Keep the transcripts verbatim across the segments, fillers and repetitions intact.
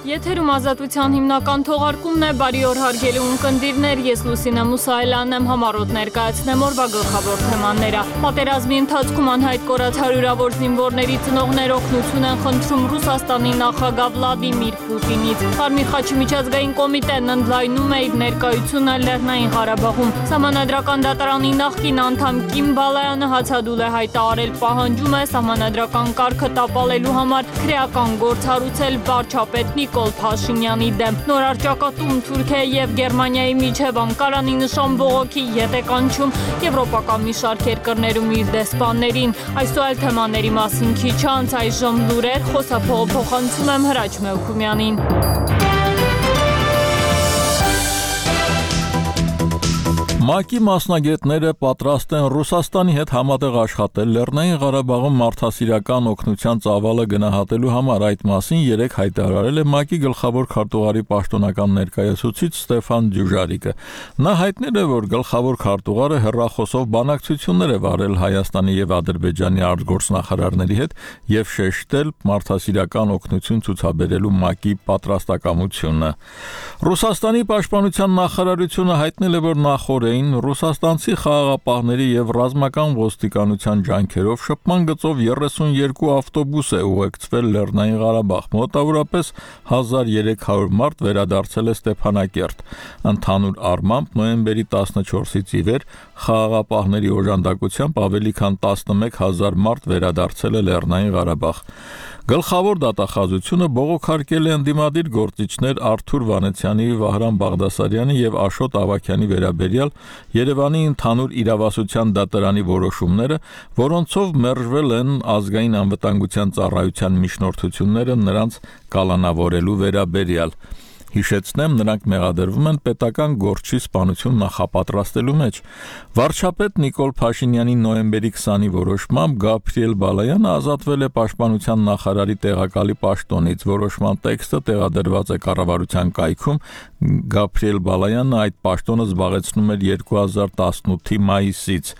Եթերում ազատության հիմնական թողարկումն է, բարի օր հարգելի ունկնդիրներ, ես Լուսինե Մուսայելյանն եմ, համառոտ ներկայացնեմ օրվա գլխավոր թեմաները։ Պատերազմի ընթացքում անհայտ կորած հարյուրավոր զինվորների ծնողներ օգնություն են խնդրում Ռուսաստանի նախագահ Վլադիմիր Պուտինից։ Կարմիր խաչի միջազգային կոմիտեն ընդլայնում է իր ներկայությունը Լեռնային Ղարաբաղում։ Սահմանադրական դատարանի նախկին անդամ Կիմ Բալայանը հացադուլ է հայտարարել, պահանջում է սահմանադրական կարգը տապալելու համար քրեական գործ հարուցել վարչապետ Նիկոլ Փաշինյանի դեմ։ Նոր առճակատում Թուրքիայի եւ Գերմանիայի միջև Անկարանի նշան բողոքի ետ է կանչում եվրոպական մի շարք երկրներում իր դեսպաններին։ Այս ու այլ թեմաների մասին քիչ անց այժմ լուրեր, խոսափողը փոխանցում եմ Հրաչ Մելքումյանին։ ՄԱԿ-ի մասնագետները պատրաստ են Ռուսաստանի հետ համատեղ աշխատել Լեռնային Ղարաբաղում մարդասիրական օգնության ծավալը գնահատելու համար։ Այդ մասին երեկ հայտարարել է ՄԱԿ-ի գլխավոր քարտուղարի պաշտոնական ներկայացուցիչ Ստեփան Դյուժարիկը։ Նա հայտնել է, որ գլխավոր քարտուղարը հեռախոսով բանակցություններ է վարել Հայաստանի եւ Ադրբեջանի արտգործնախարարների հետ եւ շեշտել մարդասիրական օգնություն ցուցաբերելու ՄԱԿ-ի պատրաստակամությունը։ Ռուսաստանի պաշտպանության նախարարությունը հայտնել է, որ նախորդ Ռուսաստանցի խաղաղապահների եւ ռազմական ոստիկանության ջանքերով շփման գծով երեսունյերկու ավտոբուս է ուղեկցվել Լեռնային Ղարաբաղ։ Մոտավորապես հազար երեք հարյուր մարդ վերադարձել է Ստեփանակերտ։ Ընդհանուր առմամբ նոյեմբերի տասնչորսից ի վեր խաղաղապահների օժանդակությամբ ավելի քան տասնմեկ հազար մարդ վերադարձել է Լեռնային Ղարաբաղ։ Գլխավոր դատախազությունը բողոքարկել է ընդդիմադիր գործիչներ Արթուր Վանեցյանի, Վահրամ Բաղդասարյանի եւ Աշոտ Ավագյանի վերաբերյալ Երևանի ընդհանուր իրավասության դատարանի որոշումները, որոնցով մերժվել են ազգային անվտանգության ծառայության միջնորդությունները նրանց կալանավորելու վերաբերյալ։ Հիշեցնեմ, նրանք մեղադրվում են պետական գործչի սպանություն նախապատրաստելու մեջ։ Վարչապետ Նիկոլ Փաշինյանի նոյեմբերի քսանի որոշմամբ Գաբրիել Բալայանը ազատվել է պաշտպանության նախարարի տեղակալի պաշտոնից։ Որոշման տեքստը տեղադրված է կառավարության կայքում։ Գաբրիել Բալայանը այդ պաշտոնը զբաղեցնում էր երկու հազար տասնութի մայիսից։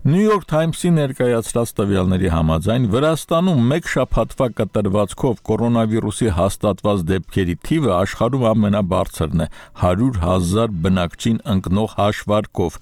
New York Times-ի ներկայացրած տվյալների համաձայն Վրաստանում մեկ շաբաթվա կտրվածքով կորոնավիրուսի հաստատված դեպքերի թիվը աշխարհում ամենաբարձրն է՝ հարյուր հազար բնակչին ընկնող հաշվարկով։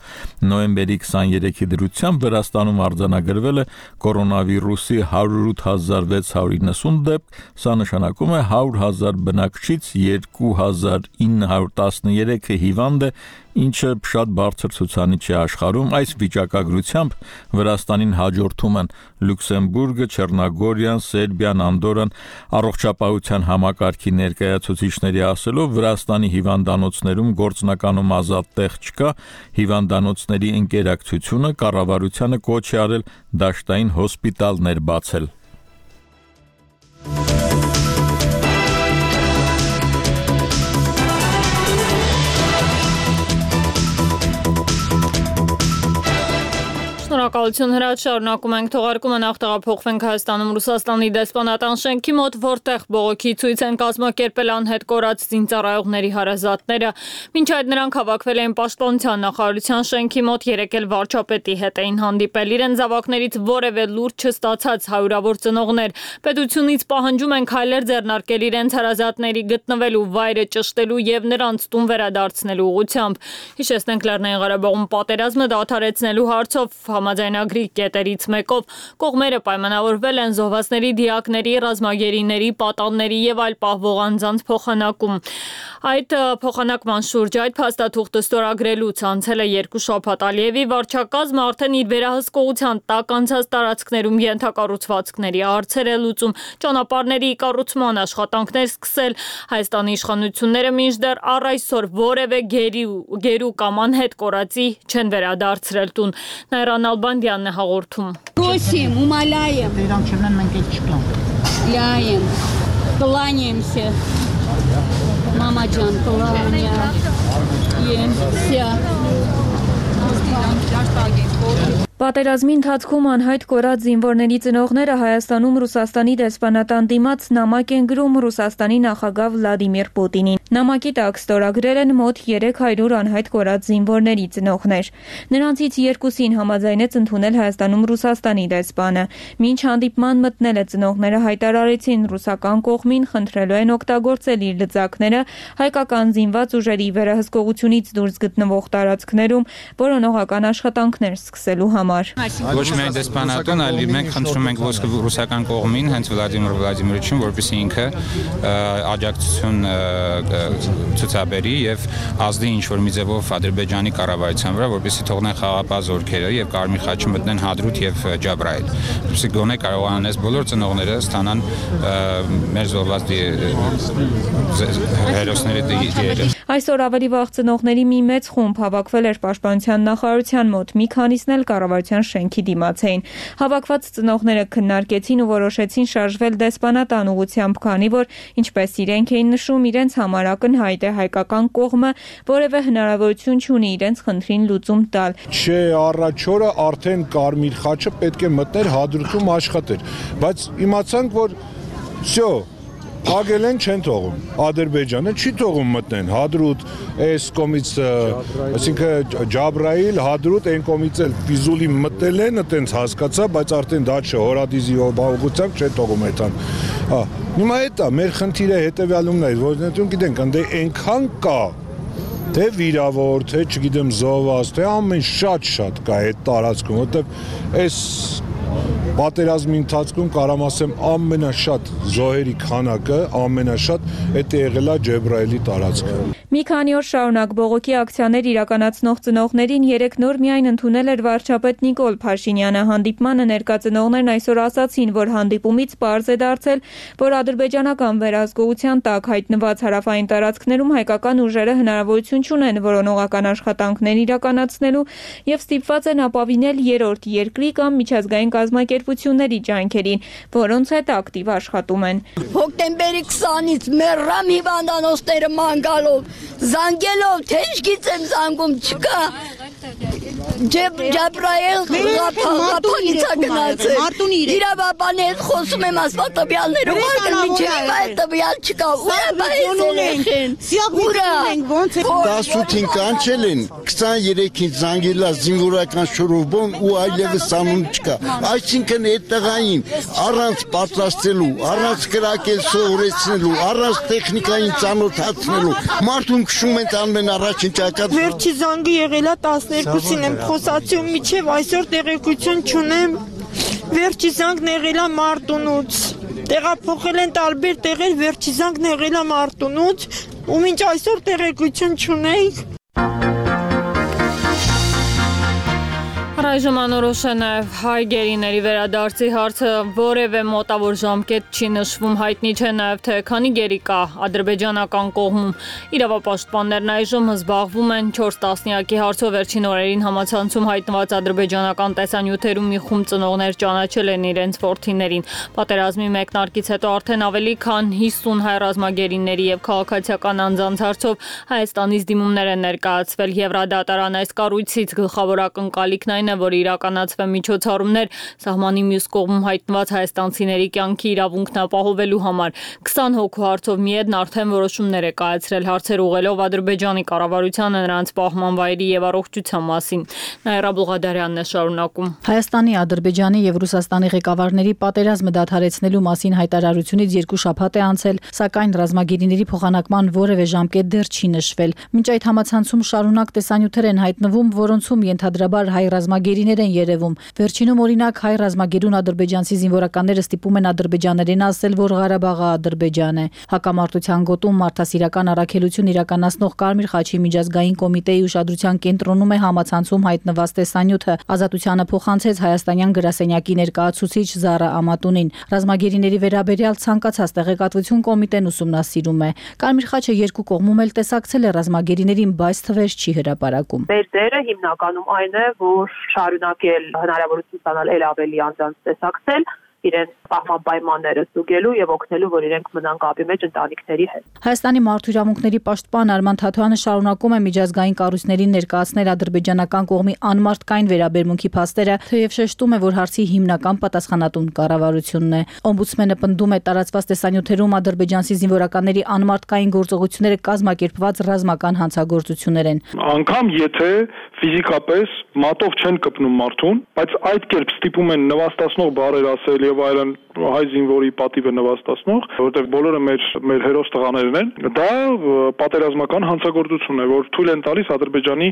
Նոյեմբերի քսաներեքի դրությամբ Վրաստանում արձանագրվել է կորոնավիրուսի հարյուր ութ հազար վեց հարյուր իննսուն դեպք, սա նշանակում է հարյուր հազար բնակչից երկու հազար ինը հարյուր տասներեքը հիվանդ է, ինչը շատ բարձր ցուցանիշ է աշխարհում։ Այս վիճակագրությամբ Վրաստանին հաջորդում են Լյուքսեմբուրգը, Չեռնոգորիան, Սերբիան, Անդորրան։ Առողջապահության համակարգի ներկայացուցիչների ասելով, Վրաստանի հիվանդանոցներում գործնականում ազատ տեղ չկա։ Հիվանդանոցների ընկերակցությունը կառավարությանը կոչ է արել դաշտային հոսպիտալներ բացել։ Շնորհակալություն Հրաչ, շարունակում ենք թողարկումը, նախ տեղափոխվենք Հայաստանում Ռուսաստանի դեսպանատան շենքի մոտ, որտեղ բողոքի ցույց են կազմակերպել անհետ կորած զինծառայողների հարազատները։ Մինչ այդ նրանք հավաքվել էին պաշտպանության նախարարության շենքի մոտ, երեկ էլ վարչապետի հետ էին հանդիպել։ Իրենց զավակներից որևէ լուրջ չստացած հարյուրավոր ծնողներ պետությունից պահանջում են քայլեր ձեռնարկել իրենց հարազատների գտնվելու վայրը ճշտելու եւ նրանց տուն վերադարձնելու ուղղությամբ։ Հիշեցնենք, Լեռնային Ղարաբաղում պատերազմը դադարեցնելու հարցով համաձայնագրի կետերից մեկով կողմերը պայմանավորվել են զոհվածների դիակների, ռազմագերիների, պատանների եւ այլ պահվող անձանց փոխանակում։ Այդ փոխանակման շուրջ այդ փաստաթուղթը ստորագրելուց անցել է երկու շաբաթ։ Ալիևի վարչակազմը արդեն իր վերահսկողության տակ անցած տարածքներում ենթակառուցվածքների հարցեր է լուծում, ճանապարհների կառուցման աշխատանքներ սկսել։ Հայաստանի իշխանությունները մինչդեռ առ այսօր որևէ գերու կամ անհետ կորածի չեն վերադարձրել տուն։ Նայրան Ալբանդյանն է հաղորդում։ Просим, умоляем. Ляем, кланяемся. Мама Джан, кланяемся. Պատերազմի ընթացքում անհայտ կորած զինվորների ծնողները Հայաստանում Ռուսաստանի դեսպանատան դիմաց նամակ են գրում Ռուսաստանի նախագահ Վլադիմիր Պուտինին։ Նամակի տակ ստորագրել են մոտ երեք հարյուր անհայտ կորած զինվորների ծնողներ։ Նրանցից երկուսին համաձայնեց ընդունել Հայաստանում Ռուսաստանի դեսպանը։ Մինչ հանդիպման մտնելը ծնողները հայտարարեցին ռուսական կողմին, խնդրելու են օգտագործել իր լծակները հայկական զինված ուժերի վերահսկողությունից դուրս գտնվող տարածքներում որոնողական աշխատանքներ սկսելու համար։ Ոչ միայն դեսպանատուն, այլ մենք խնդրում ենք ռուսական կողմին, հենց Վլադիմիր Վլադիմիրովիչին, որպեսզի ինքը աջակցություն ցուցաբերի եւ ազդի ինչ-որ մի ձևով Ադրբեջանի կառավարության վրա, որպեսզի թողնեն խաղապահ զորքերը եւ Կարմիր խաչը մտնեն Հադրութ եւ Ջաբրայել։ Որպեսզի գոնե կարողանան այս բոլոր ծնողները ստանան մեր զոհված հերոսների դիերը։ Այսօր ավելի վաղ ծնողների մի մեծ խումբ հավաքվել էր Պաշտպանության նախարարության մոտ, մի քանիսն էլ կառավարության շենքի դիմաց էին։ Հավաքված ծնողները քննարկեցին ու որոշեցին շարժվել դեսպանատան ուղղությամբ, քանի որ, ինչպես իրենք էին նշում, իրենց համար ակնհայտ է հայկական կողմը որևէ հնարավորություն չունի իրենց խնդրին լուծում տալ։ Չէ, առաջ օրը արդեն Կարմիր խաչը պետք է մտներ Հադրութում աշխատեր, բայց իմացանք, որ всё Ագել են չեն թողում, Ադրբեջանը չի թողում մտնեն, Հադրութ, այս կոմից, այսինքն Ջաբրայիլ, Հադրութ, այն կոմից էլ Ֆիզուլի մտել են, այտենց հասկացա, բայց արդեն դա չէ, Հորադիզի ուղղությամբ չեն թողում այդան։ Հիմա էդ է, մեր խնդիրը հետևյալումն է, որ գիտենք, ընդ այնքան կա, թե վիրավոր, թե չգիտեմ զոհված, թե ամեն շատ-շատ կա այդ տարածքում, որտեղ այս պատերազմի ընթացքում կարամ ասեմ ամենաշատ զոհերի քանակը ամենաշատ էդ եղել է Ջեբրայելի տարածքը։ Մի քանի օր շարունակ բողոքի ակցիաներ իրականացնող ծնողներին երեք նոր միայն ընդունել էր վարչապետ Նիկոլ Փաշինյանը։ Հանդիպմանը ներկա ծնողներն այսօր ասացին, որ հանդիպումից պարզ է դարձել, որ ադրբեջանական վերահսկողության տակ հայտնված հարավային տարածքներում հայկական ուժերը հնարավորություն չունեն որոնողական աշխատանքներ իրականացնելու եւ ստիպված են ապավինել երրորդ երկրի կամ միջազգային կազմակերպությունների ջանքերին, որոնց հետ ակտիվ աշխատում են։ Հոկտեմբերի քսանից մեռամ հիվանդանոցները ման գալով, զանգելով, թե ինչ գիտեմ զանգում չկա։ Ջաբրայել հապանիցա գնացել։ Իրավաբանի հետ խոսում եմ ասված տվյալները, ուղարկել մինչև հիմա այդ տվյալ չկա։ Ուրա բայց երեխեն։ Ուրա։ տասութին կանչել են, քսաներեքին զանգելա զինվորական շուրովբոն ու այլևս անուն չկա։ Այսինքն այդ տղային առանց պատրաստելու, առանց կրակել սովորեցնելու, առանց տեխնիկային ծանոթացնելու, մարդուն քշում են անմեն առաջին ճակատ։ Վերջի զանգը եղել է տասներկուսին եմ խոսացիում միջև այսօր տեղեկություն չունեմ, վերջի զանգն եղել է Մարտունուց, տեղափոխել են տարբեր տեղեր, վերջի զանգն եղել է Մարտունուց ու մինչ այսօր տեղեկություն չունենք։ Այժմ անորոշ է նաև հայ գերիների վերադարձի հարցը, որևէ մոտավոր ժամկետ չի նշվում, հայտնի չէ նաև թե քանի գերի կա ադրբեջանական կողմում։ Իրավապաշտպաններն այժմ զբաղվում են չորս տասնյակի հարցով, վերջին օրերին համացանցում հայտնված ադրբեջանական տեսանյութերում մի խումբ ծնողներ ճանաչել են իրենց որդիներին։ Պատերազմի մեկնարկից հետո արդեն ավելի քան հիսուն հայ ռազմագերիների եւ քաղաքացիական անձանց հարցով Հայաստանից դիմումներ են ներկայացվել Եվրադատարան այս կառույցից գլխավոր ակնկալիքն այն է, որ իրականացվեն միջոցառումներ սահմանի մյուս կողմում հայտնված հայաստանցիների կյանքի իրավունքն ապահովելու համար։ քսան հոգու հարցով միեդն արդեն որոշումներ է կայացրել հարցեր ուղղելով Ադրբեջանի կառավարությանը նրանց պահման վայրի եւ առողջության մասին։ Նաիրա Բուղադարյանն է շարունակում։ Հայաստանի, Ադրբեջանի եւ Ռուսաստանի ղեկավարների պատերազմը դադարեցնելու մասին հայտարարությունից երկու շաբաթ է անցել, սակայն ռազմագերիների փոխանակման որևէ ժամկետ դեռ չի նշվել։ Մինչ այդ համացանցում շարունակ տեսանյութեր են հայտնվում, որոնցում ենթադրաբար հայ ռազմագերիներ են երևում։ Վերջինում օրինակ հայ ռազմագերուն ադրբեջանցի զինվորականները ստիպում են ադրբեջաներին ասել, որ Ղարաբաղը Ադրբեջան է։ Հակամարտության գոտում մարդասիրական առաքելություն իրականացնող Կարմիր խաչի միջազգային կոմիտեի ուշադրության կենտրոնում է համացանցում հայտնված տեսանյութը։ Ազատությանը փոխանցեց հայաստանյան գրասենյակի ներկայացուցիչ Զարա Ամատունին։ Ռազմագերիների վերաբերյալ ցանկացած տեղեկատվություն կոմիտեն ուսումնասիրում է։ Կարմիր խաչը երկու կողմում էլ տեսակցել է ռազմագերիներին, բայց թվեր չի հրապարակում։ Մեր դերը հիմնականում այն է, որ շարունակել հնարավորություն ստանալ ել ավելի անձանց տեսակցել իրենց պահման պայմանները ստուգելու եւ օգնելու, որ իրենք մնան կապի մեջ ընտանիքների հետ։ Հայաստանի մարդու իրավունքների պաշտպան Արման Թաթոյանը շարունակում է միջազգային կառույցներին ներկայացնել ադրբեջանական կողմի անմարդկային վերաբերմունքի փաստերը, թեև շեշտում է, որ հարցի հիմնական պատասխանատուն կառավարությունն է։ Օմբուդսմենը պնդում է տարածված տեսանյութերում ադրբեջանցի զինվորականների անմարդկային գործողությունները կազմակերպված ռազմական հանցագործություններ են։ Անկամ եթե ֆիզիկապես մատով չեն կպնում մարդուն, բայց այդ կերպ ստիպում են նվաստացնող բառեր ասել եւ այլն հայ զինվորի պատիվը նվաստացնող, որտեղ բոլորը մեր մեր հերոս տղաներն են, դա պատերազմական հանցագործություն է, որ թույլ են տալիս Ադրբեջանի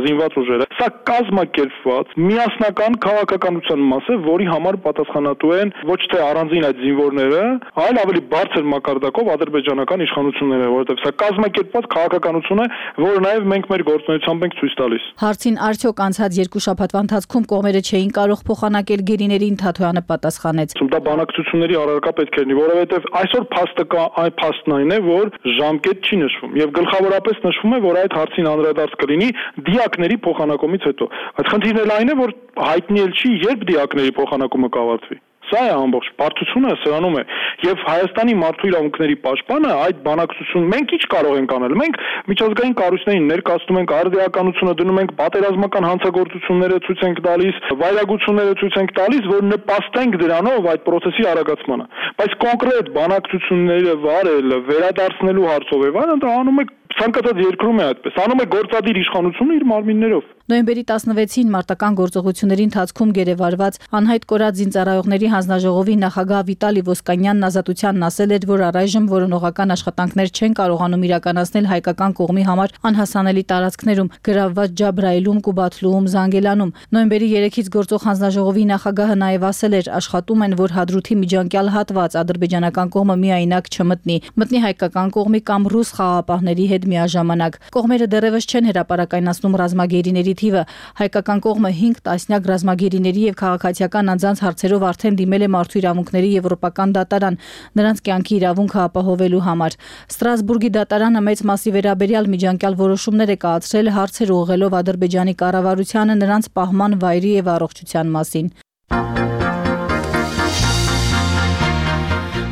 զինված ուժերը։ Սա կազմակերպված միասնական քաղաքականության մաս է, որի համար պատասխանատու են ոչ թե առանձին այդ զինվորները, այլ ավելի բարձր մակարդակով ադրբեջանական իշխանությունները, որովհետև սա կազմակերպված քաղաքականություն է, որը նաև մենք մեր գործունեությամբ ենք ցույց տալիս։ Հարցին արդյոք անցած երկու շաբաթվա ընթացքում կողմերը չէին կարող փոխանակել գերիներին, Թաթոյանը պատասխանեց։ Դա բանակցությունների առարկա պետք է լինի, որովհետև այսօր փաստը կա, այն փաստն այն է, որ ժամկետ չի նշվում եւ գլխավորապես նշվում է, որ այդ հարցին անդրադարձ կլինի դիակների փոխանակումից հետո։ Այդ խնդիրն էլ այն է, որ հայտնի էլ չի, երբ դիակների փոխանակումը կավարտվի։ Սա է ամբողջ բարդությունը սրանում է եւ Հայաստանի մարդու իրավունքների պաշտպանը այդ բանակցություն մենք ինչ կարող ենք անել, մենք միջազգային կառույցներին ներկայացնում ենք արդիականությունը, դնում ենք պատերազմական հանցագործությունները ցույց ենք տալիս, վայրագությունները ցույց ենք տալիս, որ նպաստենք դրանով այդ process-ի արագացմանը, բայց կոնկրետ բանակցությունները վարել, վերադարձնելու հարցով եւ այլն դա անում է ցանկացած երկրում է այդպես, անում է գործադիր իշխանությունը իր մարմիններով։ Նոյեմբերի տասնվեցին մարտական գործողությունների ընթացքում գերեվարված անհայտ կորած զինծառայողների հանձնաժողովի նախագահ Վիտալի Ոսկանյանն ազատությանն ասել էր, որ առայժմ որոնողական աշխատանքներ չեն կարողանում իրականացնել հայկական կողմի համար անհասանելի տարածքներում, գրավված Ջաբրայիլում, Կուբաթլուում, Զանգելանում։ Նոյեմբերի երեքից գործող հանձնաժողովի նախագահը նաև ասել էր, աշխատում են, որ Հադրութի միջանկյալ հատված ադրբեջանական կողմը միայնակ չմտնի, մտնի հայկական կողմի կամ ռուս խաղաղապահների հետ միաժամանակ։ Կողմերը դեռևս չեն հրապարակայնացնում ռազմագերիների թիվը։ Հայկական կողմը հինգ տասնյակ ռազմագերիների եւ քաղաքացիական անձանց հարցերով արդեն դիմել է մարդու իրավունքների եվրոպական դատարան նրանց կյանքի իրավունքը ապահովելու համար։ Ստրասբուրգի դատարանը մեծ մասի վերաբերյալ միջանկյալ որոշումներ է կայացրել հարցեր ուղղելով Ադրբեջանի կառավարությանը նրանց պահման վայրի եւ առողջության մասին։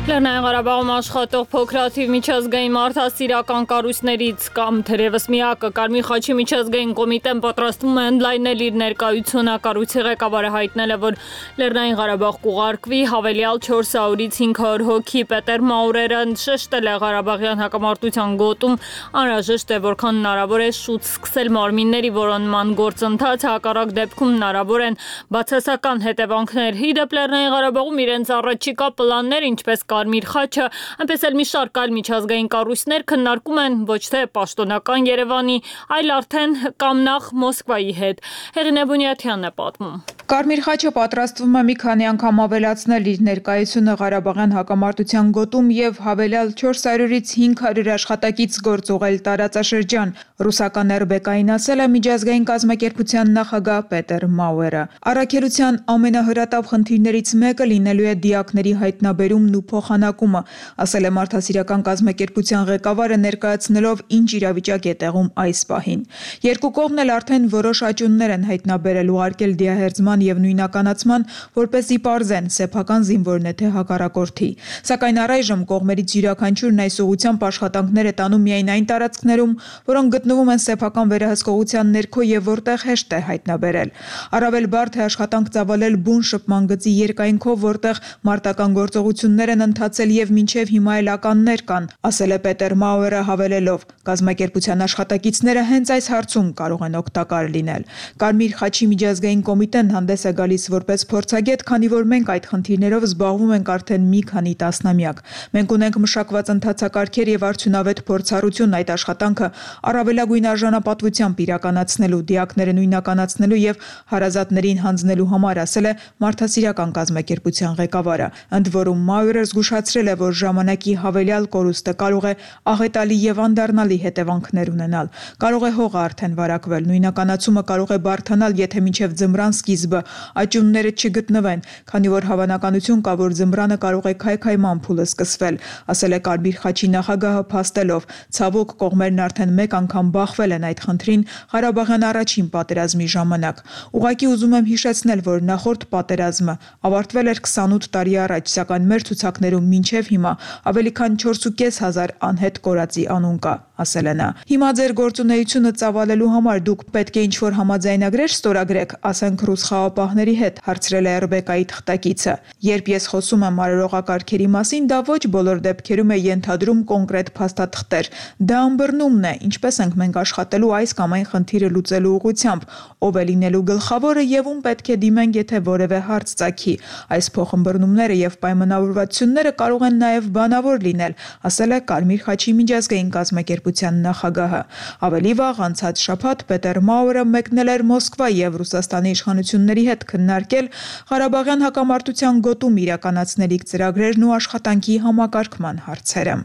Լեռնային Ղարաբաղում աշխատող փոքրաթիվ միջազգային մարդասիրական կառույցներից կամ թերևս միակը Կարմիր խաչի միջազգային կոմիտեն պատրաստվում է ընդլայնել իր ներկայությունը։ Կառույցի ղեկավարը հայտնել է, որ Լեռնային Ղարաբաղ կուղարկվի հավելյալ չորս հարյուրից հինգ հարյուր հոգի։ Պետեր Մաուրերը շեշտել է Ղարաբաղյան հակամարտության գոտում անհրաժեշտ է որքան հնարավոր է շուտ սկսել մարմինների որոնման գործընթացը, հակառակ դեպքում հնարավոր են բացասական հետևանքներ։ Իդեպ Լեռնային Ղարաբաղում իրենց առաջիկա պլաններ, ինչպես Կարմիր խաչը, այնպես էլ մի շարք այլ միջազգային կառույցներ քննարկում են ոչ թե պաշտոնական Երևանի, այլ արդեն կամ նախ Մոսկվայի հետ։ Հեղինե Բունյաթյանն է պատմում։ Կարմիր խաչը պատրաստվում է մի քանի անգամ ավելացնել իր ներկայությունը Ղարաբաղյան հակամարտության գոտում եւ հավելյալ չորս հարյուրից հինգ հարյուր աշխատակից գործ ուղղել տարածաշրջան։ Ռուսական эр бэ կային ասել է միջազգային կազմակերպության նախագահ Պետեր Մաուրերը։ Առաքելության ամենահրատապ խնդիրներից մեկը լինելու է դիակների հայտնաբերումն ու փոխանակումը, ասել է մարդասիրական կազմակերպության ղեկավարը ներկայացնելով ինչ իրավիճակ է տեղում այս պահին։ Երկու կողմն էլ արդեն որոշ աճյուններ են հայտնաբերել ուղարկել դիահերձման եւ նույնականացման, որպեսզի պարզեն սեփական զինվորն է թե հակառակորդի։ Սակայն առայժմ կողմերից յուրաքանչյուրն այս ուղղությամբ աշխատանքներ է տանում միայն այն տարածքներում, որոնք գտնվում են սեփական վերահսկողության ներքո եւ որտեղ հեշտ է հայտնաբերել։ Առավել բարդ է աշխատանք ծավալել բուն շփման գծի երկայնքով, որտեղ մարտական գործողություններ են ընթացել եւ մինչեւ հիմա էլ ականներ կան, ասել է Պետեր Մաուրերը հավելելով. կազմակերպության աշխատակիցները հենց այս հարցում կարող են օգտակար լինել։ Կարմիր խաչի միջազգային կոմիտեն հանդես է գալիս որպես փորձագետ, քանի որ մենք այդ խնդիրներով զբաղվում ենք արդեն մի քանի տասնամյակ։ Մենք ունենք մշակված ընթացակարգեր եւ արդյունավետ փորձառություն այդ աշխատանքը առավելագույն արժանապատվությամբ իրականացնելու, դիակները նույնականացնելու եւ հարազատներին հանձնելու համար, ասել է մարդասիրական կազմակերպության ղեկավարը։ Ընդ որում Մաուրերը զգուշ զգուշացրել է, որ ժամանակի հավելյալ կորուստը կարող է աղետալի եւ անդառնալի հետևանքներ ունենալ։ Կարող է հողը արդեն վարակվել, նույնականացումը կարող է բարդանալ, եթե մինչև ձմռան սկիզբը աճյունները չգտնվեն, քանի որ հավանականություն կա, որ ձմռանը կարող է քայքայման փուլը սկսվել, ասել է Կարմիր խաչի նախագահը փաստելով։ Ցավոք, կողմերն արդեն մեկ անգամ բախվել են այդ խնդրին Ղարաբաղյան առաջին պատերազմի ժամանակ։ Ուղղակի ուզում եմ հիշեցնել, որ նախորդ պատերազմը ավարտվել էր քսանութ տարի առաջ, սակայն մեր ցուցակներում մինչև հիմա ավելի քան չորս հազար կես անհետ կորածի անուն կա, ասել է նա։ Հիմա ձեր գործունեությունը ծավալելու համար դուք պետք է ինչ-որ համաձայնագրեր ստորագրեք, ասենք ռուս խաղապահների հետ, հարցրել է Ռեբեկայի թղթակիցը։ Երբ ես խոսում եմ արարողակարգերի մասին, դա ոչ բոլոր դեպքերում է ենթադրում կոնկրետ փաստաթղթեր։ Դա ըմբռնումն է, ինչպես ենք մենք աշխատելու այս կամ այն խնդիրը լուծելու ուղղությամբ, ով է լինելու գլխավորը եւ ում պետք է դիմենք, եթե որևէ հարց ծագի։ Այս փոխըմբռնումները եւ պայմանավորվածությունները կարող են նաեւ բանավոր լինել, ասել է Կարմիր խաչի միջազգային կազմակերպության նախագահը։ Ավելի վաղ անցած շաբաթ Պետեր Մաուրը մեկնել էր Մոսկվա եւ Ռուսաստանի իշխանությունների հետ քննարկել Ղարաբաղյան հակամարտության գոտում իրականացնելիք ծրագրերն ու աշխատանքի համակարգման հարցերը։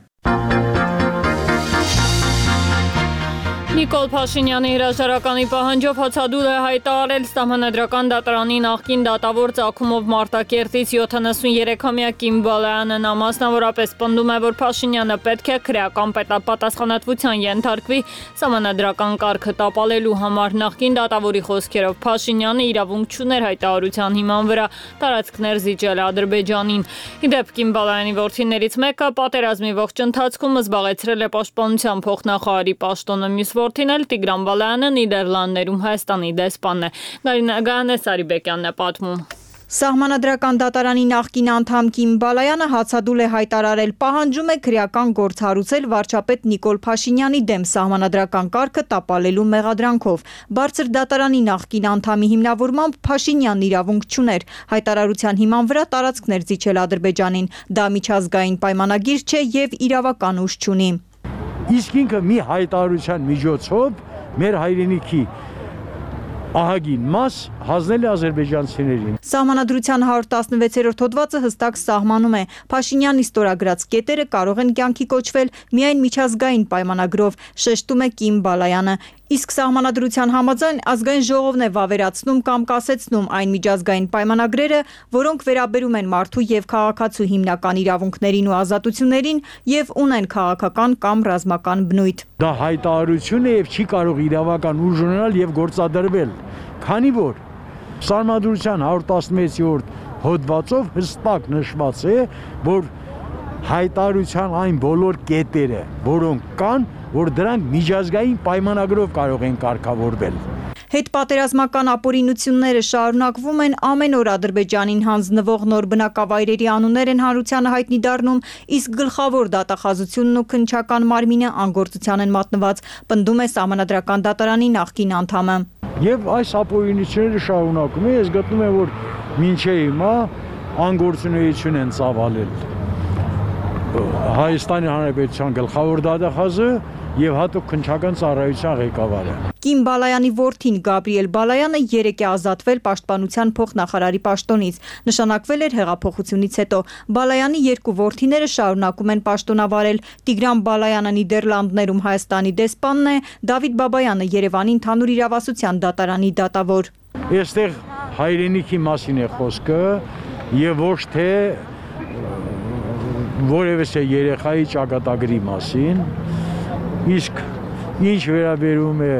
Նիկոլ Փաշինյանի հրաժարականի պահանջով հացադուլ է հայտարարել Սահմանադրական դատարանի նախկին դատավոր ծագումով Մարտակերտից յոթանասուներեքամյա Կիմ Բալայանը նա մասնավորապես պնդում է, որ Փաշինյանը պետք է քրեական պատասխանատվության ենթարկվի Սահմանադրական կարգը տապալելու համար։ Նախկին դատավորի խոսքերով Փաշինյանը իրավունք չուներ հայտարարության հիման վրա տարածքներ զիջել Ադրբեջանին։ Ի դեպ Կիմ Բալայանի որդիներից մեկը պատերազմի ողջ ընթացքում զբաղեցրել է պաշտպանության փոխնախարարի պաշտոնը, մյուս որդին էլ Տիգրան Բալայանը Նիդերլանդներում Հայաստանի դեսպանն է։ Գայանե Սարիբեկյանն է պատմում։ Սահմանադրական դատարանի նախկին անդամ Կիմ Բալայանը հացադուլ է հայտարարել, պահանջում է քրեական գործ հարուցել վարչապետ Նիկոլ Փաշինյանի դեմ Սահմանադրական կարգը տապալելու մեղադրանքով։ Բարձր դատարանի նախկին անդամի հիմնավորմամբ Փաշինյանն իրավունք չուներ հայտարարության հիման վրա տարածքներ զիջել Ադրբեջանին։ Դա միջազգային պայմանագիր չէ եւ իրավական ուժ չունի։ Իսկ ինքը մի հայտարարության միջոցով մեր հայրենիքի ահագին մաս հանձնել է ադրբեջանցիներին։ Սահմանադրության հարյուր տասնվեցերորդ հոդվածը հստակ սահմանում է, Փաշինյանի ստորագրած կետերը կարող են կյանքի կոչվել միայն միջազգային պայմանագրով, շեշտում է Կիմ Բալայանը։ Իսկ Սահմանադրության համաձայն ազգային ժողովն է վավերացնում կամ կասեցնում այն միջազգային պայմանագրերը, որոնք վերաբերում են մարդու եւ քաղաքացու հիմնական իրավունքներին ու ազատություններին եւ ունեն քաղաքական կամ ռազմական բնույթ։ Դա հայտարարություն է եւ չի կարող իրավական ուժ ունենալ եւ գործադրվել, քանի որ Սահմանադրության հարյուր տասնվեցերորդ հոդվածով հստակ նշված է, որ հայտարարության այն բոլոր կետերը, որոնք կան, որ դրանք միջազգային պայմանագրով կարող են կարգավորվել։ Հետպատերազմական ապօրինությունները շարունակվում են, ամեն օր Ադրբեջանին հանձնվող նոր բնակավայրերի անուններ են հանրությանը հայտնի դառնում, իսկ գլխավոր դատախազությունն ու քննչական մարմինը անգործության են մատնված, պնդում է Սահմանադրական դատարանի նախկին անդամը։ Եվ այս ապօրինությունները շարունակում են, ես գտնում եմ, որ մինչև հիմա անգործունեություն են ծավալել Հայաստանի Հանրապետության գլխավոր դատախազը եւ հատուկ քննչական ծառայության ղեկավարը։ Կիմ Բալայանի որդին Գաբրիել Բալայանը երեկ է ազատվել պաշտպանության փոխնախարարի պաշտոնից։ Նշանակվել էր հեղափոխությունից հետո։ Բալայանի երկու որդիները շարունակում են պաշտոնավարել։ Տիգրան Բալայանը Նիդերլանդներում Հայաստանի դեսպանն է, Դավիթ Բաբայանը Երևանի ընդհանուր իրավասության դատարանի դատավոր։ Այստեղ հայրենիքի մասին է խոսքը եւ ոչ թե որևէ երեխայի ճակատագրի մասին, իսկ ինչ վերաբերում է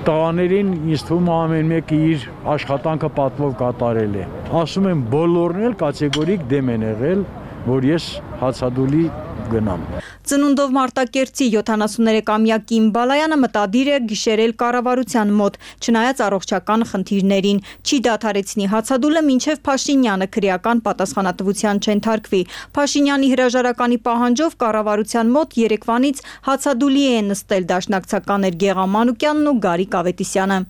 տղաներին, ինձ թվում է ամեն մեկը իր աշխատանքը պատվով կատարել է։ Ասում եմ, բոլորն էլ կատեգորիկ դեմ են եղել, որ ես հացադուլի գնամ։ Ծնունդով Մարտակերտի յոթանասուներեքամյա Կիմ Բալայանը մտադիր է գիշերել կառավարության մոտ, չնայած առողջական խնդիրներին, չի դադարեցնի հացադուլը, մինչև Փաշինյանը քրեական պատասխանատվության չենթարկվի։ Փաշինյանի հրաժարականի պահանջով կառավարության մոտ երեկվանից հացադուլի են նստել դաշնակցականներ Գեղամ Մանուկյանն ու Գարիկ Ավետիսյանը։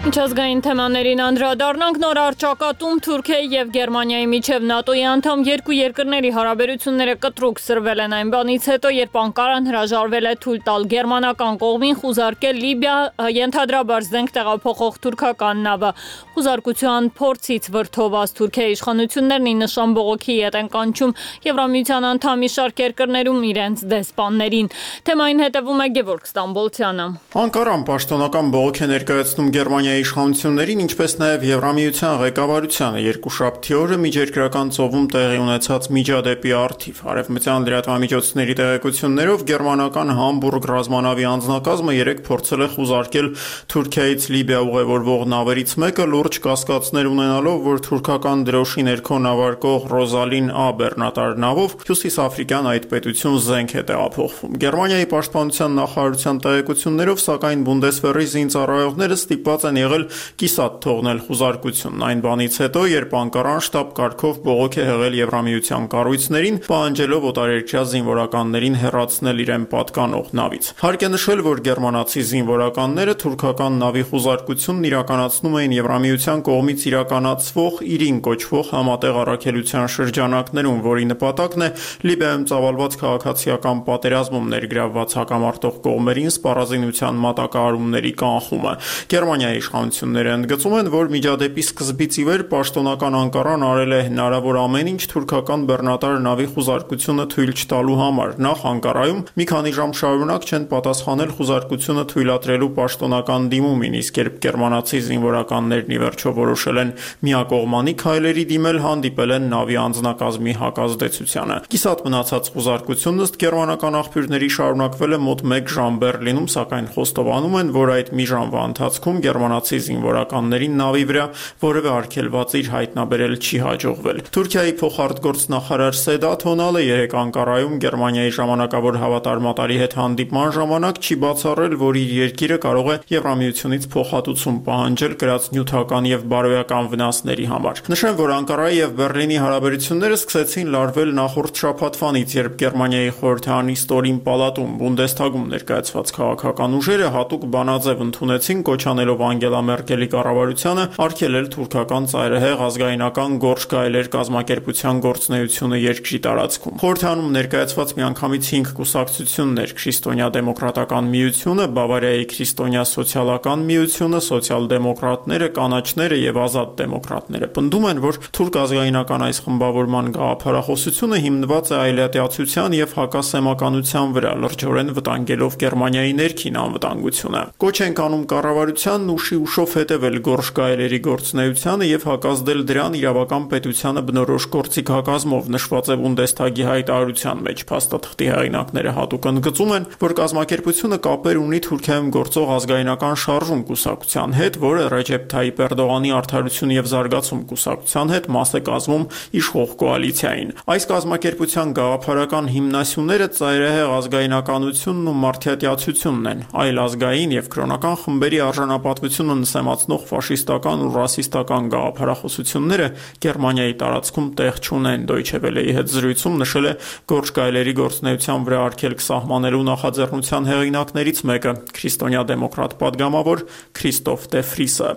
Միջազգային թեմաներին անդրադառնանք նոր առճակատում Թուրքիայի եւ Գերմանիայի միջև ՆԱՏՕ-ի անդամ երկու երկրների հարաբերությունները կտրուկ սրվել են այն բանից հետո, երբ Անկարան հրաժարվել է թույլ տալ գերմանական կողմին խուզարկել Լիբիա ենթադրաբար զենք տեղափոխող թուրքական նավը։ Խուզարկության փորձից վրդովված Թուրքիայի իշխանություններն ի նշան բողոքի ետ են կանչում Եվրամիության անդամ մի շարք երկրներում իրենց դեսպաններին։ Թեմային հետևում է Գևորգ Ստամբոլցյանը։ Անկարան պաշտոնական բողոք է ներկայացնում Գերմանիայի իշխանություններին, ինչպես նաև Եվրամիության ղեկավարությանը երկուշաբթի օրը միջերկրական ծովում տեղի ունեցած միջադեպի առթիվ։ Արևմտյան լրատվամիջոցների տեղեկություններով գերմանական Համբուրգ ռազմանավի անձնակազմը երեկ փորձել է խուզարկել Թուրքիայից Լիբիա ուղևորվող նավերից մեկը, լուրջ կասկածներ ունենալով, որ թուրքական դրոշի ներքո նավարկող Ռոզալին Ա բեռնատար նավով հյուսիսաֆրիկյան այդ պետություն զենք է տեղափոխվում։ Գերմանիայի պաշտպանության նախարարության տեղեկություններով, սակայն Բունդեսվերի զինծառայողները ստիպված են եղել կիսատ թողնել խուզարկությունն այն բանից հետո, երբ Անկարան շտաբ կարգով բողոք է հղել Եվրամիության կառույցներին, պահանջելով օտարերկրյա զինվորականներին հեռացնել իրեն պատկանող նավից։ Հարկ է նշել, որ գերմանացի զինվորականները թուրքական նավի խուզարկությունն իրականացնում էին Եվրամիության կողմից իրականացվող Իրին կոչվող համատեղ առաքելության շրջանակներում, որի նպատակն է Լիբիայում ծավալված քաղաքացիական պատերազմում ներգրավված հակամարտող կողմերին սպառազինության մատակարարումների կանխումը։ Գերմանիայի իշխանությունները ընդգծում են, որ միջադեպի սկզբից ի վեր պաշտոնական Անկարան արել է հնարավոր ամեն ինչ թուրքական բեռնատար նավի խուզարկությունը թույլ չտալու համար։ Նախ Անկարայում մի քանի ժամ շարունակ չեն պատասխանել խուզարկությունը թույլատրելու պաշտոնական դիմումին, իսկ երբ գերմանացի զինվորականներն ի վերջո որոշել են միակողմանի քայլերի դիմել, հանդիպել են նավի անձնակազմի հակազդեցությանը։ Կիսատ մնացած խուզարկությունն ըստ գերմանական աղբյուրների շարունակվել է մոտ մեկ ժամ Բեռլինում, սակայն խոստովանում են, որ այդ մի ժամվա ընթացքում գերմանացի զինվորականներին նավի վրա որևէ արգելված իր հայտնաբերել չի հաջողվել։ Թուրքիայի փոխարտգործնախարար Սեդաթ Օնալը երեկ Անկարայում Գերմանիայի ժամանակավոր հավատարմատարի հետ հանդիպման ժամանակ չի բացառել, որ իր երկիրը կարող է Եվրամիությունից փոխհատուցում պահանջել կրած նյութական եւ բարոյական վնասների համար։ Նշեմ, որ Անկարայի եւ Բեռլինի հարաբերությունները սկսեցին լարվել նախորդ շաբաթվանից, երբ Գերմանիայի խորհրդարանի ստորին պալատում Բունդեսթագում ներկայացված քաղաքական ուժերը հատուկ բանաձև ընդունեցին, կոչ անելով Անգելա Մերկելի կառավարությանը արգելել թուրքական ծայրահեղ ազգայնական գորշ գայլեր կազմակերպության գործունեությունը երկրի տարածքում։ Խորհրդանում ներկայացված միանգամից հինգ կուսակցություններ՝ Քրիստոնյա դեմոկրատական միությունը, Բավարիայի քրիստոնյա սոցիալական միությունը, սոցիալ-դեմոկրատները, կանաչները եւ ազատ դեմոկրատները պնդում են, որ թուրք ազգայնական այս խմբավորման գաղափարախոսությունը հիմնված է այլատիացության եւ հակասեմականության վրա, լրջորեն վտանգելով Գերմանիայի ներքին անվտանգությունը։ Կոչ են անում կառավարությանն ուշի ուշով հետևել գորշ գայլերի գործունեությանը եւ հակազդել դրան իրավական պետությանը բնորոշ գործիքակազմով, նշված է Բունդեսթագի հայտարարության մեջ։ Փաստաթղթի հեղինակները հատուկ ընդգծում են, որ կազմակերպությունը կապեր ունի Թուրքիայում գործող ազգայնական շարժում կուսակցության հետ, որը Ռեջեփ Թայիպ Էրդողանի արդարություն եւ զարգացում կուսակցության հետ մաս է կազմում իշխող կոալիցիային։ Այս կազմակերպության գաղափարական հիմնասյուները ծայրահեղ ազգայնականությունն ու մարդյատյացությունն են, այլ ազգային եւ կրոնական խմբերի արժանապատվությունը նսեմացնող ֆաշիստական ու ռասիստական գաղափարախոսությունները Գերմանիայի տարածքում տեղ չունեն։ Դոյչե Վելեի հետ զրույցում նշել է գորշ գայլերի գործունեության վրա արգելք սահմանելու նախաձեռնության հեղինակներից մեկը՝ քրիստոնյա դեմոկրատ падգամավոր Քրիստոֆ Դե Ֆրիսը։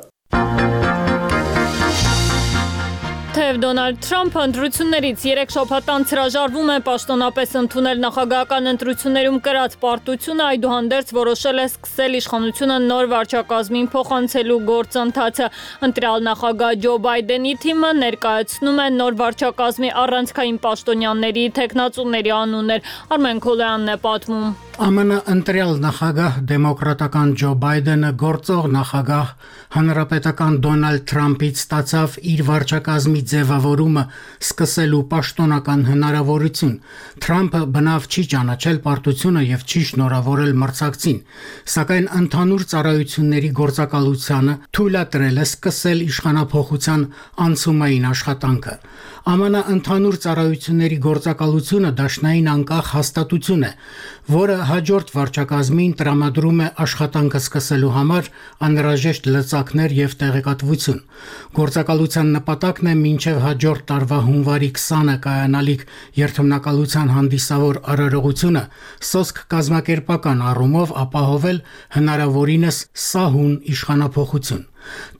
Թեև Դոնալդ Թրամփը ընտրություններից երեք շաբաթ անց հրաժարվում է պաշտոնապես ընդունել նախագահական ընտրություններում կրած պարտությունը, այդուհանդերձ որոշել է սկսել իշխանությունը նոր վարչակազմին փոխանցելու գործընթացը։ Ընտրյալ նախագահ Ջո Բայդենի թիմը ներկայացնում է նոր վարչակազմի առանցքային պաշտոնյաների թեկնածուների անուններ։ Արմեն Քոլյանն է պատմում։ ԱՄՆ ընտրյալ նախագահ դեմոկրատական Ջո Բայդենը գործող նախագահ հանրապետական Դոնալդ Թրամփից ստացավ իր վարչակազմի ձևավորումը սկսելու պաշտոնական հնարավորություն։ Թրամփը բնավ չի ճանաչել պարտությունը եւ չի շնորհավորել մրցակցին, սակայն ընդհանուր ծառայությունների գործակալությանը թույլատրել է սկսել իշխանափոխության անցումային աշխատանքը։ ԱՄՆ ընդհանուր ծառայությունների գործակալությունը դաշնային անկախ հաստատություն է, որը հաջորդ վարչակազմին տրամադրում է աշխատանքը սկսելու համար անհրաժեշտ լծակներ եւ տեղեկատվություն։ Գործակալության նպատակն է մինչև հաջորդ տարվա հունվարի քսանը կայանալիք երթմնակալության հանդիսավոր արարողությունը սոսկ կազմակերպական առումով ապահովել հնարավորինս սահուն իշխանափոխություն։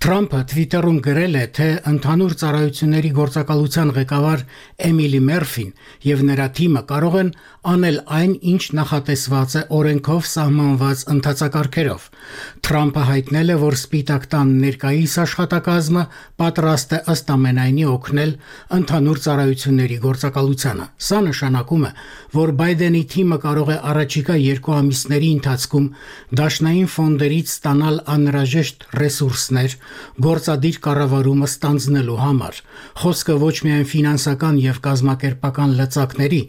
Թրամփը Twitter-ում գրել է, թե ընդհանուր ծառայությունների գործակալության ղեկավար Էմիլի Մերֆին եւ նրա թիմը կարող են անել այն, ինչ նախատեսված է օրենքով սահմանված ընթացակարգերով։ Թրամփը հայտնել է, որ Սպիտակ տան ներկայիս աշխատակազմը պատրաստ է ըստ ամենայնի օգնել ընդհանուր ծառայությունների գործակալությանը։ Սա նշանակում է, որ Բայդենի թիմը կարող է առաջիկա երկու ամիսների ընթացքում դաշնային ֆոնդերից ստանալ անհրաժեշտ ռեսուրսներ գործադիր կառավարումը ստանձնելու համար։ Խոսքը ոչ միայն ֆինանսական եւ կազմակերպական լծակների,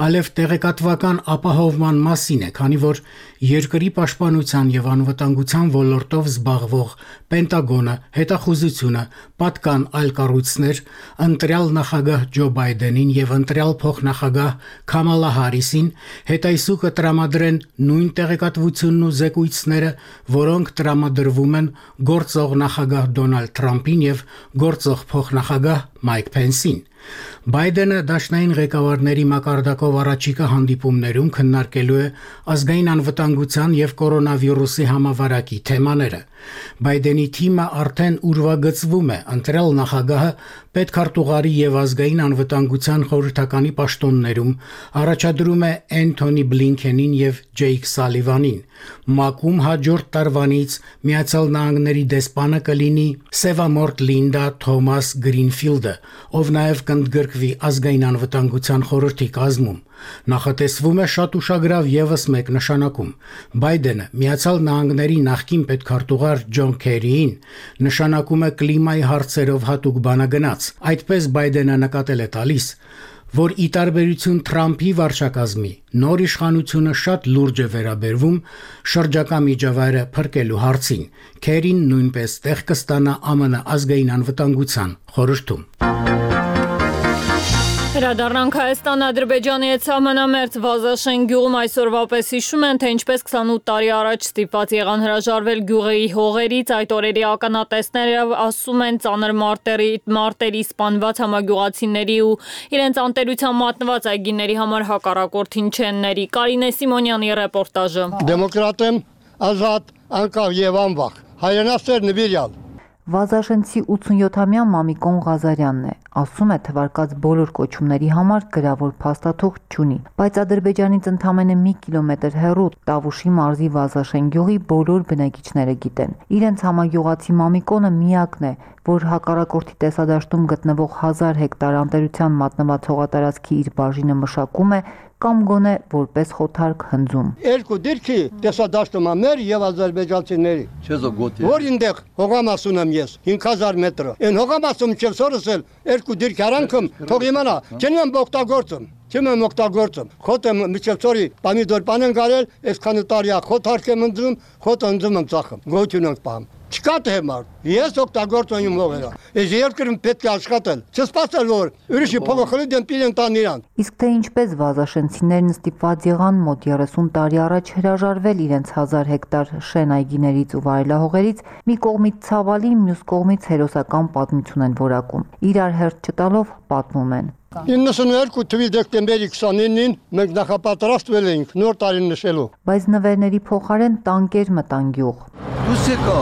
այլև տեղեկատվական ապահովման մասին է, քանի որ երկրի պաշտպանության եւ անվտանգության ոլորտով զբաղվող Պենտագոնը, հետախուզությունը, պատկան այլ կառույցներ ընտրյալ նախագահ Ջո Բայդենին եւ ընտրյալ փոխնախագահ Քամալա Հարիսին հետայսուկը տրամադրեն նույն տեղեկատվությունն ու զեկույցները, որոնք տրամադրվում են գործող նախագահ Դոնալդ Թրամփին եւ գործող փոխնախագահ Մայք Փենսին։ Բայդենը դաշնային ղեկավարների մակարդակով առաջիկա հանդիպումներում քննարկելու է ազգային անվտանգության եւ կորոնավիրուսի համավարակի թեմաները։ Բայդենի թիմը արդեն ուրվագծվում է, ընտրյալ նախագահը պետքարտուղարի եւ ազգային անվտանգության խորհրդականի պաշտոններում առաջադրում է Էնթոնի Բլինքենին եւ Ջեյք Սալիվանին։ ՄԱԿ-ում հաջորդ տարվանից Միացյալ Նահանգների դեսպանը կլինի Սևամորտ Լինդա Թոմաս Գրինֆիլդը, ով նաեւ կընդգրկվի ազգային անվտանգության խորհրդի կազմում։ Նախատեսվում է շատ ուշագրավ եւս մեկ նշանակում։ Բայդենը Միացյալ Նահանգների նախկին պետքարտուղար Ջոն Քերիին նշանակում է կլիմայի հարցերով հատուկ բանագնաց։ Այդպես Բայդենը նկատել է տալիս, որ ի տարբերություն Թրամփի վարչակազմի նոր իշխանությունը շատ լուրջ է վերաբերվում շրջակա միջավայրը փրկելու հարցին։ Քերին նույնպես տեղ կստանա ԱՄՆ ազգային անվտանգության խորհրդում։ Հրադառնանք Հայաստան Ադրբեջանի հետ սահմանամերձ Վազաշեն գյուղում այսօրվա պես հիշում են, թե ինչպես քսանութ տարի առաջ ստիպված եղան հրաժարվել գյուղի հողերից, այդ օրերի ականատեսները ասում են ծանր մարտերի, մարտերի սպանված համագյուղացիների ու իրենց անտերության մատնված այգիների համար հակառակորդին չեն ների։ Կարինե Սիմոնյանի ռեպորտաժը։ Դեմոկրատ եմ, ազատ, անկախ եւ անվախ, հայրենասեր նվիրյալ։ Վազաշենցի ութսունյոթամյա Մամիկոն Ղազարյանն է, ասում է թվարկած բոլոր կոչումների համար գրավոր փաստաթուղթ չունի, բայց Ադրբեջանից ընդամենը մի կիլոմետր հեռու Տավուշի մարզի Վազաշեն գյուղի բոլոր բնակիչները գիտեն։ Իրենց համագյուղացի Մամիկոնը միակն է, որ հակառակորդի տեսադաշտում գտնվող հազար հեկտար անտերության մատնված հողատարածքի իր բաժինը մշակում է կամ գոնե որպես խոթարկ հնձում։ Երկու դիրքի տեսադաշտում ամեր եւ ադրբեջանցիների։ Որ ինտեղ հողամասում եմ ես հինգ հազար մետր։ Այն հողամասում չեմ սորսել երկու դիրք արանքım թող իմանա, չեմ եմ օգտագործում։ Չեմ եմ օգտագործում։ Խոտ եմ միջոցորի պամիդոր պանեն գարել, այսքան տարիա խոթարկ եմ ընձում, խոտ ընձում եմ ծախում։ Գոյություն ենք պահում։ Չկա թե մար։ Ես օգտագործում եմ հողերը։ Այս երկրում պետք է աշխատել։ Չսպասել որ ուրիշի փողոքրի դեմ պիրեն տան իրան։ Իսկ թե ինչպես վազաշենցիներն ստիպված եղան մոտ երեսուն տարի առաջ հրաժարվել իրենց հազար հեկտար շեն այգիներից ու վայելահողերից, մի կողմից ցավալի, մյուս կողմից հերոսական պատմություն են որակում։ Իրար հերթ չտալով պատմում են։ իննսունուերկու թվականի դեկտեմբերի քսանինին մենք նախապատրաստվել էինք նոր տարին նշելու։ Բայց նվերների փոխարեն տանկեր մտան գյուղ։ Դուս եկա,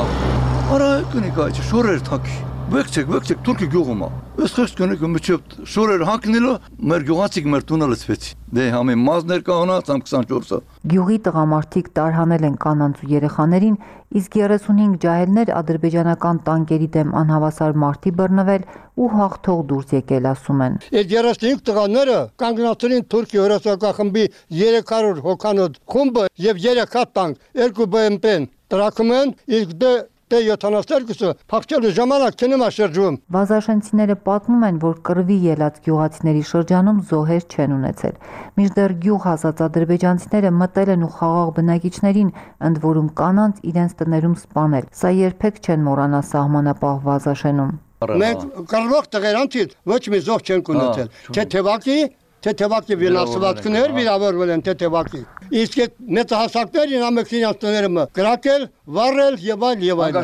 արա կնիկա, շորեր թակի։ Վեկցեք, վեկցեք, թուրքի գյուղում է։ Այս խեղճ կնիկը միջև շորեր հանգնելու մեր գյուղացիք մեր տունը լցվեցի։ Դե համի մազներ կանած ամ քսանչորսը։ Գյուղի տղամարդիկ տարհանել են կանանց ու երեխաներին, իսկ երեսունհինգ ջահելներ ադրբեջանական տանկերի դեմ անհավասար մարտի բռնվել ու հաղթող դուրս եկել, ասում են։ Այդ երեսունհինգ տղաները կանգնացրին Թուրքի հրոսակա խմբի երեք հարյուր հոգանոց խումբը եւ երեք հատ տանկ, երկու B M P-ն տրակում են, իսկ դե Դե յոթանասերկուսը փախչելու ժամանակ չնեմա շրջում։ Վազաշենցիները պատմում են, որ կռվի ելած գյուղացիների շրջանում զոհեր չեն ունեցել։ Մինչդեռ գյուղ հասած ադրբեջանցիները մտել են ու խաղաղ բնակիչներին, ընդ որում կանանց իրենց տներում սպանել։ Սա երբեք չեն մոռանա սահմանապահ Վազաշենում։ Մենք կռվող տղերանցից ոչ մի զոհ չենք ունեցել։ Թե թևակի, թե թևակի վնասվածքներ վիրավորվել են, թե թևակի։ Իսկ այդ մեծահասակներին ամենքին տները կրակել, վառել եւ այլ եւ այլ։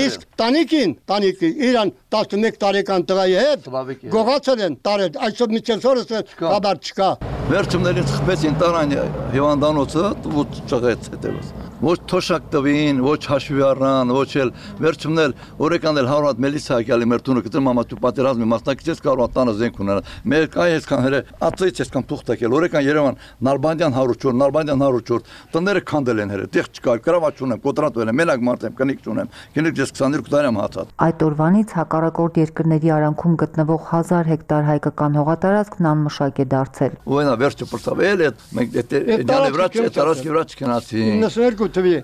Իսկ տանիքին, տանիքի իրան տասնմեկ տարեկան տղայի հետ գողացել են տարել, այսօր միջև օրս խաբար չկա։ Վերջումներին խփեցին տարան հիվանդանոցը ու ճղեց հետևս։ ոչ թոշակ տվին, ոչ հաշվի առան, ոչ էլ վերջումն էլ օրեկան էլ հարյուր հատ մելիսա եկալի մեր տունը կտրում ամա դու պատերազմի մասնակից ես կարող տանը զենք ունենալ։ Մեր կայ այսքան հերը ածից այսքան թուղթ եկել օրեկան Երևան Նալբանդյան հարյուր չորս, Նալբանդյան հարյուր չորս, տները քանդել են հերը, տեղ չկա, գրավաճ ունեմ, կոտրատ ունեմ, մենակ մարդ եմ, կնիկ չունեմ, կնիկ ես քսաներկու տարի եմ հացած։ Այդ օրվանից հակառակորդ երկրների արանքում գտնվող հազար հեկտար հայկական հողատարածքն անմշակ է դարձել։ Ու այնա վերջը պրծավել է, մենք դե վրաց, տարածքի վրաց չգնացի։ իննսունհինգ թվի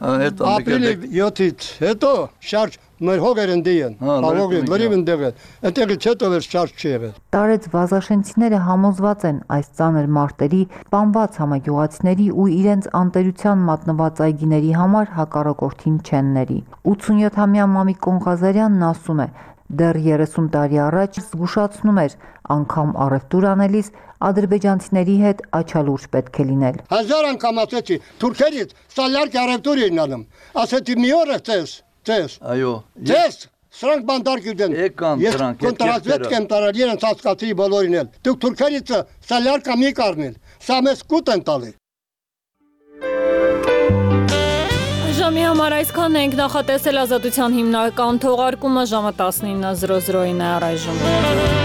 ապրիլի յոթից հետո շարժ մեր հողեր ընդի են, հողերը լրիվ ընդեղ են, այնտեղից հետո էլ շարժ չի եղել։ Տարեց վազաշենցիները համոզված են այս ծանր մարտերի, սպանված համագյուղացիների ու իրենց անտերության մատնված այգիների համար հակառակորդին չեն ների։ ութսունյոթամյա Մամիկ Կոնղազարյանն ասում է, դեռ երեսուն տարի առաջ զգուշացնում էր, անգամ առևտուր անելիս ադրբեջանցիների հետ աչալուրջ պետք է լինել։ Հազար անգամ ասեցի, թուրքերից սալյարկ առևտուր էին անում, ասեցի մի օր ես Ձեզ, այո, ձեզ, սրանք բանդար գյուդեն, ես կոնտրազվետ կեմ տարալ, իրենց հասկացի բոլորին էլ, դուք թուրքերից սալյարկա մի կարմիլ, սա մեզ կուտ են տալի։ Ժամի համար այսքան ենք, նախատեսել Ազատության հիմնական թողարկումը ժամը տասնինը զրո զրոին է առայժմ։